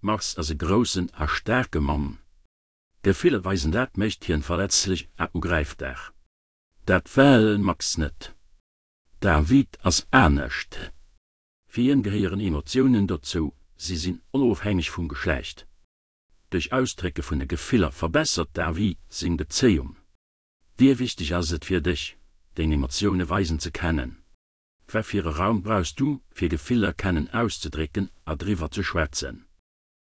Max ass e groussen a staarke Mann. Gefiller weisen dat mécht hien verletzlech a ugräifbar. Dat well Max net. David ass anescht. Fir hien gehéieren Emotiounen dozou, si sinn onofhängeg vum Geschlecht. Duerch Ausdrécke vun de Gefiller verbessert David seng Bezéiung. Wéi wichteg ass et fir dech, deng Emotioune weisen ze kennen? Wat fir e Raum brauchs du, fir Gefiller kennen auszedrécken a driwwer ze schwätzen?